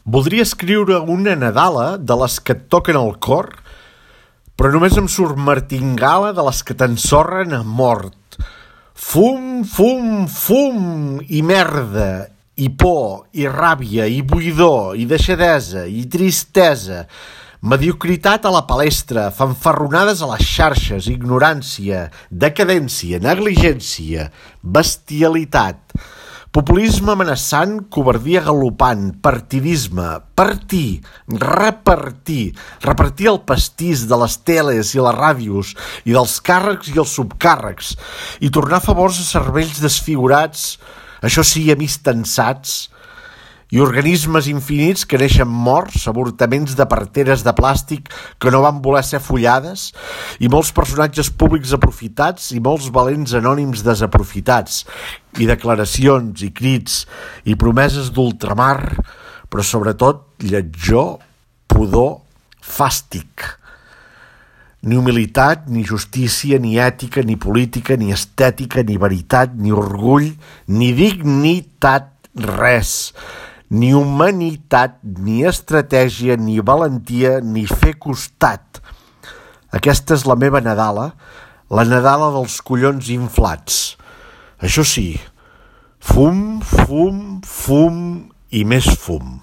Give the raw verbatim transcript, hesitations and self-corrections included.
Voldria escriure una nadala de les que et toquen el cor, però només em surt martingala de les que t'ensorren a mort. Fum, fum, fum, i merda, i por, i ràbia, i buidor, i deixadesa, i tristesa, mediocritat a la palestra, fanfarronades a les xarxes, ignorància, decadència, negligència, bestialitat, populisme amenaçant, covardia galopant, partidisme, partir, repartir, repartir el pastís de les teles i les ràdios i dels càrrecs i els subcàrrecs i tornar favors a cervells desfigurats, això sí, amics tensats, i organismes infinits que neixen morts, avortaments de parteres de plàstic que no van voler ser follades, i molts personatges públics aprofitats i molts valents anònims desaprofitats, i declaracions i crits i promeses d'ultramar, però sobretot lletjor, pudor, fàstic. Ni humilitat, ni justícia, ni ètica, ni política, ni estètica, ni veritat, ni orgull, ni dignitat, res. Ni humanitat, ni estratègia, ni valentia, ni fer costat. Aquesta és la meva nadala, la nadala dels collons inflats. Això sí, fum, fum, fum i més fum.